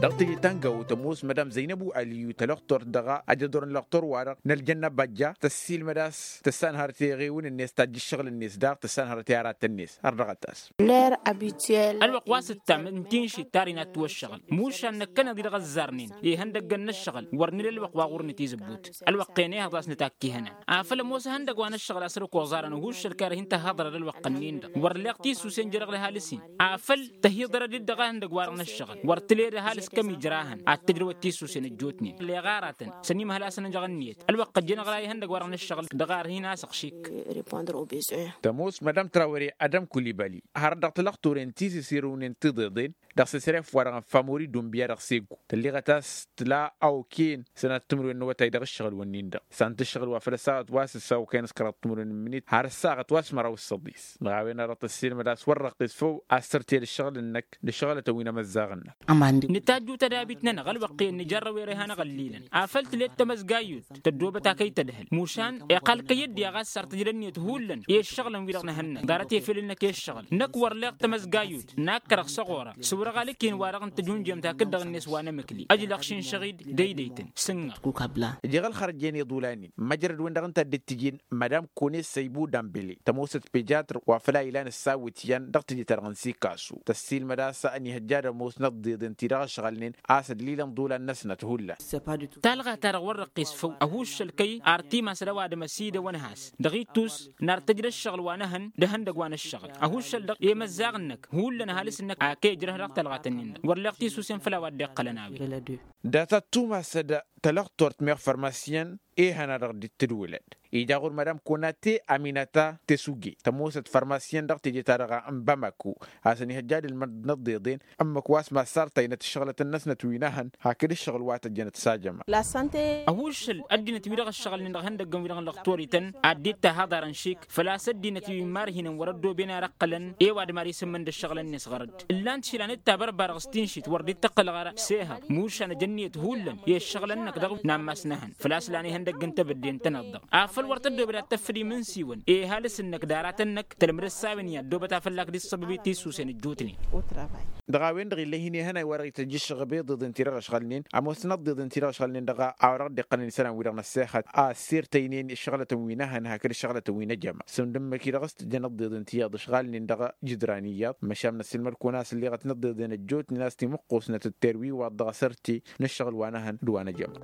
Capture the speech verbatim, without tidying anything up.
Dăɣ-teje ta n-gawăt ămoos madam zăynăbu aliyu tălăxtort dăɣ-ajăḍor n-lăxtor-wa-dăɣ n-ăljănna bajja tăssiilmăd a-s tăssanhărăt i-eɣewǝn-net tajj ǝššăɣǝl-net daɣ tăssanhărăt i-aratăn-net. Ărdăɣăt-as. Ălwăqq wa s-ǝttam n-tinšit ta rinat tiwăššăɣǝl mušan năkkăneḍ-i dăɣ-ăzzarnen ihăndăggăn n-ǝššăɣǝl wăr nǝla ălwăqq wa ɣur-nǝtizǝbbut. Ălwăqq-en ehăḍ a-s nǝtakk ihănan afăl ămoos ihăndăgg wa n-ǝššăɣǝl a-s ărkoẓarăn ăhuuššăl kăy-dăɣ hin-tăhhaḍărăd ălwăqq-ǝnnin-dăɣ wăr leɣ tisusen jere dăɣ-ăhalǝs-in afăl tăhiḍărăd-dd dăɣ-ehăndăgg-wa-dăɣ n-ǝššăɣǝl wăr tǝled ăhalǝs kămi jrahăn ad-tǝjrăwăt tisusen ăjjootnen leɣ aratăn s-ănimhăl-asăn ajăɣ ǝnniyăt ălwăqq ăjjănăɣ ra ihăndăgg-wa-dăɣ n-ǝššăɣǝl dăɣ-ar hin-asăɣ šik. Tămoos madam trawăre adam kulibali hărăt dăɣ-tălăxturen tisǝsirǝwnen tiḍeḍen dăɣ-sesref-wa-dăɣ n-famori dunbiya dăɣ-seggu tălliɣăt a-s tǝla a okăyăn sănat timǝrwen n-awătay dăɣ-ǝššăɣǝl-wǝnnin-dăɣ s-an t-ǝššăɣǝl wa făl ăssaɣăt wa s-ǝssa okăyăn s-kăraḍ timǝrwen n-imǝnit har ăssaɣăt wa s-măraw s-săḍis. Dăɣ-a-wen a dăɣ-tăssiilmăd a-s wăr răqqis făw a-s săr-t i-dd ǝššăɣǝl-năk d-ǝššăɣǝlătăn wi n-amăzzaɣ-năk. Nǝtajjut adabit-nănăɣ ălwăqq-en nǝjarrăw i-ărhan ăɣăllilăn afăl tǝled tamăzgayyut tăddoobăt a kăy-tădhǝl mušan iqqal kăy-dd-iɣas sar tǝjrăd-net hullan i-ǝššăɣǝlăn-wi-dăɣ n-ehănnăk ḍarăt efel-năk i-ǝššăɣǝl năkk wăr leɣ tamăzgayyut nakkărăɣ s-ăɣora s-wăr-ăɣalǝk-in wa-dăɣ n-tăjunjămt hakd-dăɣ-net wa n-emǝkli ăjlăɣ šinšăɣ-dd dăydăytăn. Sǝnna. Ăjăɣ ălxărăjjen iḍulan-in măjrăd-wen-dăɣ ǝnta a dd-tǝjin madam kone săybu dambele tămoosăt pejatr wa făl a ilan ăssawǝt iyyăn dăɣ-teje-ta-dăɣ n-sikasu tăssiilmăd a-s ănihăjja ad-ămoos n-ăḍḍeḍen ti-dăɣ ăšɣălnen a-s ădlilăn iḍulan-năsnăt hullan. Talɣa-ta-dăɣ wăr răqqis făw ăhuuššăl kăy-i ar timasăd ăwadǝm ăsidăwăn has-dăɣ ittus n-ar tăjrăd ǝššăɣǝl wa n-ehăn d-ehăndăgg wa n-ǝššăɣǝl ăhuuššăl-dăɣ i-imăzzaɣ-năk hullan ăhalǝs-năk a kăy-ijrăh dăɣ-talɣat-ǝnnin-dăɣ wăr leɣ tisusen făll-a-wa dd-iqqălăn a-wen. Data tumasăd tălăxtort meɣ fărmasiyăn ehăn-a-dăɣ dd-tǝdwǝlăd ija ɣur-madam konate aminata tesuge tămoosăt fărmasiyăn dăɣ-teje-ta-dăɣ n-bamako a-s ănihăjja ad-ǝlmăd n-ăḍḍeḍen ǝmmǝk wa s-massartăynăt ǝššăɣlătăn-năsnăt wi n-ehăn hakd ǝššăɣǝl wa tăjjănăt s-ajăma. Ăhuuššăl ăddinăt-wi-dăɣ ǝššăɣǝlnen dăɣ-ihăndăggăn-wi-dăɣ n-lăxtor-ităn ad-dd-tahăḍarăn šik făl-a-s ăddinăt wi n-imarhinăn wăr-ăddooben ar ǝqqălăn i-ăwadǝm ar isǝmmǝn d-ǝššăɣǝl-net ɣărăd ǝllan-t išilan d-tabărbarăɣ s-tinšit wăr dd-tǝqqǝl ɣăr s-ehăḍ mušan ăjăn ǝnniyăt hullan i-ǝššăɣǝl-năk dăɣ-nammas n-ehăn făl-a-s lan ihăndăgg n-tebădde ǝntăneḍ-dăɣ afăl wăr tăddoobăd ad-tăffăd imǝnsiwăn i-ăhalǝs-năk d-aratăn-năk tălmǝd ăssawen i-ăddoobăt a fălla-k d-issăbăb i-tisusen ǝjjootnen. Dăɣ-a-wen-dăɣ ill'-e hin-ehăn a-i wa-dăɣ ităjj ǝššăɣăb i-iḍeḍen ti-dăɣ ăšɣălnen ămoosăn ăḍḍeḍen ti-dăɣ ăšɣălnen dăɣ-a-wa dăɣ-dd-iqqălăn isălan-wi-dăɣ n-ăssexăt a ăssirtăynen ǝššăɣlătăn wi n-ehăn hakd ǝššăɣlătăn wi n-ejăma s-ǝndǝmmǝk-i dăɣ-s tǝjjăn ăḍḍeḍen ti iyyăḍ ǝšɣalnen dăɣ-jǝdran iyyăḍ măšan n-ăssiilmăd-kăwăn a-s ǝlleɣăt n-ăḍḍeḍen ăjjootnen a-s timǝqqusnăt d-terwiwaḍ dăɣ-asărte n-ǝššăɣǝl wa n-ehăn d-wa n-ejăma.